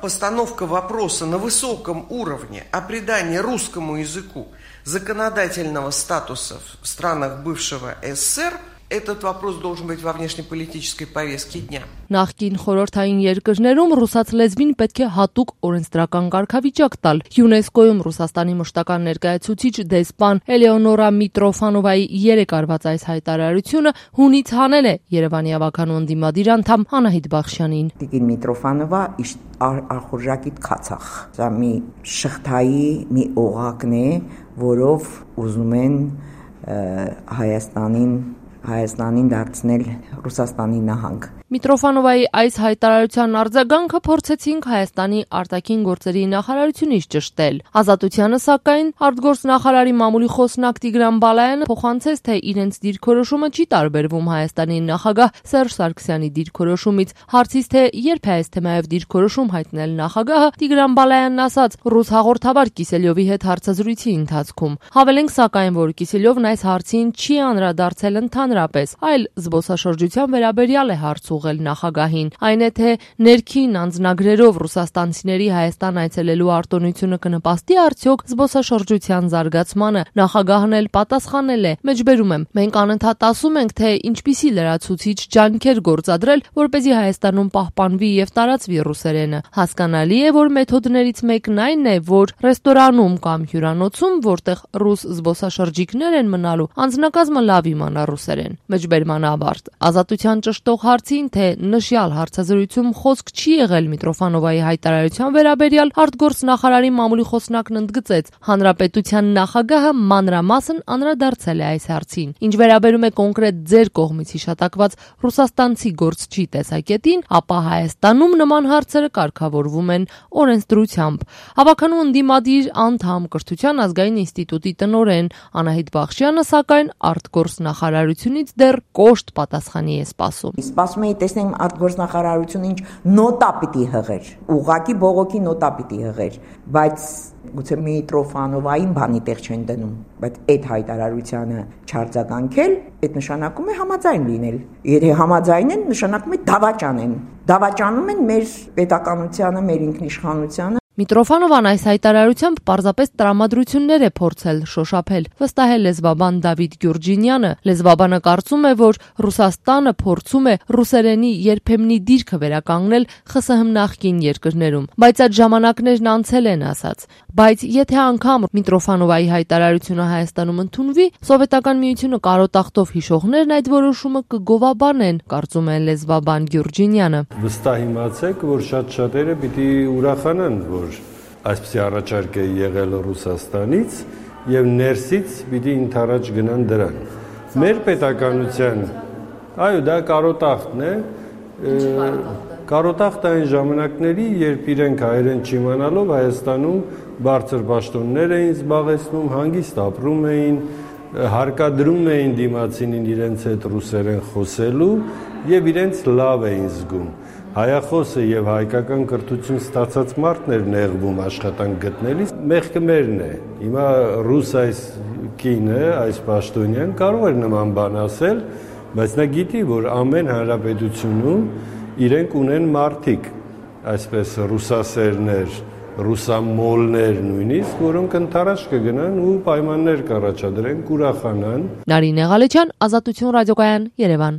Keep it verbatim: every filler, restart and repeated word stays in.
Постановка вопроса на высоком уровне о придании русскому языку законодательного статуса в странах бывшего СССР, этот вопрос должен быть во внешнеполитической повестке дня. Նախկին խորհրդային երկրներում ռուսաց լեզվին պետք է հատուկ օրենսդրական կարգավիճակ տալ։ ՅՈՒՆԵՍԿՕ-ում Ռուսաստանի մշտական ներկայացուցիչ դեսպան Էլեոնորա Միտրոֆանովայի երեք արված այս հայտարարությունը հունից հանել է Երևանի ավականու ընդդիմադիր անդամ Անահիտ Բախշյանին։ Տիկին Միտրոֆանովա արխորժակիտ քացախ։ Սա մի շղթայի մի օղակն է, որով ուզում են Հայաստանին Հայաստանին դարձնել Ռուսաստանի նահանգ։ Միտրոֆանովայի այս հայտարարության արձագանքը փորձեցինք Հայաստանի արտաքին գործերի նախարարությունից ճշտել։ Ազատությանը սակայն արտգործնախարարի մամուլի խոսնակ Տիգրան Բալայանը փոխանցեց, թե իրենց դիրքորոշումը չի տարբերվում Հայաստանի նախագահ Սերժ Սարգսյանի դիրքորոշումից։ Հարցից, թե երբ է այս թեմայով դիրքորոշում հայտնել նախագահը, Տիգրան Բալայանն ասաց ռուս հաղորդավար Կիսելյովի հետ հարցազրույցի ընթացքում։ Հավելենք սակայն, որ Կիսելյովն այս հարցին չի անդրադարձել ընդհանրապես, այլ զբոսաշրջության վերաբերյալ է հարց նախագահին, այն է թե ներքին անձնագրերով ռուսաստանցիների Հայաստան այցելելու արտոնությունը կնպաստի արդյոք զբոսաշրջության զարգացմանը։ Նախագահն էլ պատասխանել է. Մեջբերում եմ, մենք անընդհատ ասում ենք, թե ինչպիսի լրացուցիչ ջանքեր գործադրել, որպեսզի Հայաստանում պահպանվի եւ տարածվի ռուսերենը։ Հասկանալի է, որ մեթոդներից մեկն այն է, որ ռեստորանում կամ հյուրանոցում, որտեղ ռուս զբոսաշրջիկներ են մնալու, անձնակազմը լավ իմանա ռուսերեն։ Մեջբերման ավարտ։ Ազատության ճշտող հարցին, թե նշյալ հարցազրույցում խոսք չի եղել Միտրոֆանովայի հայտարարության վերաբերյալ, արտգործնախարարի մամուլի խոսնակն ընդգծեց, հանրապետության նախագահը մանրամասն անդրադարձել է այս հարցին։ Ինչ վերաբերում է կոնկրետ ձեր կողմից հիշատակված ռուսաստանցի գործչի տեսակետին, ապա Հայաստանում նման հարցերը կարգավորվում են օրենսդրությամբ։ Հավաքանու ընդդիմադիր անդամ Կրթության ազգային ինստիտուտի տնօրեն Անահիտ Բախշյանը սակայն արտգործնախարարությունից դեռ կոշտ պատասխանի է սպասում։ Սպասում էի տեսնեմ արտգործնախարարությունը ինչ նոտա պիտի հղեր, ուղղակի բողոքի նոտա պիտի հղեր, բայց գուցե Միտրոֆանովային բանի տեղ չեն դնում, բայց այդ հայտարարությանը չարձագանքել, այդ նշանակում է համաձայն լինել։ Եթե համաձայն են, նշանակում է դավաճան են։ Դավաճանում են մեր պետականությանը, մեր ինքնիշխանությանը։ Միտրոֆանովան այս հայտարարությամբ պարզապես տրամադրություններ է փորձել շոշափել, վստահել լեզվաբան Դավիթ Գյուրջինյանը։ Լեզվաբանը կարծում է, որ Ռուսաստանը փորձում է ռուսերենի երբեմնի դիրքը վերականգնել ԽՍՀՄ նախկին երկրներում, բայց այդ ժամանակներն անցել են, ասաց։ Բայց եթե անգամ Միտրոֆանովայի հայտարարությունը Հայաստանում ընդունվի, Սովետական Միությունը կարոտախտով հիշողներն այդ որոշումը կգովաբանեն, կարծում է լեզվաբան Գյուրջինյանը։ Վստահ իմացեք, որ շատ-շատերը պիտի ուրախանան, որ այսպիսի առաջարկ է եղել Ռուսաստանից եւ ներսից պիտի ընթരാճ գնան դրան։ Մեր պետականության, այո, դա կարոտախտն է, կարոտախտը այն ժամանակների, երբ իրենք հայերեն չիմանալով Հայաստանում բարձր պաշտոններ էին զբաղեցնում, հանգիստ ապրում էին, հարկադրում էին դիմացինին իրենց հետ ռուսերեն խոսելու եւ իրենց լավ էին զգում։ Հայախոսը եւ հայկական կրթություն ստացած մարդն էր նեղվում աշխատանք գտնելիս, մեղքը մերն է։ Հիմա ռուս այս կինը, այս պաշտոնյան կարող էր նման բան ասել, բայց նա գիտի, որ ամեն հանրապետությունում իրենք ունեն մարդիկ, այսպես ռուսասերներ, ռուսամոլներ նույնիսկ, որոնք ընդառաջ կգնան ու պայմաններ կառաջադրեն, կուրախանան։ Նարինե Ղալեչյան, Ազատություն ռադիոկայան, Երևան։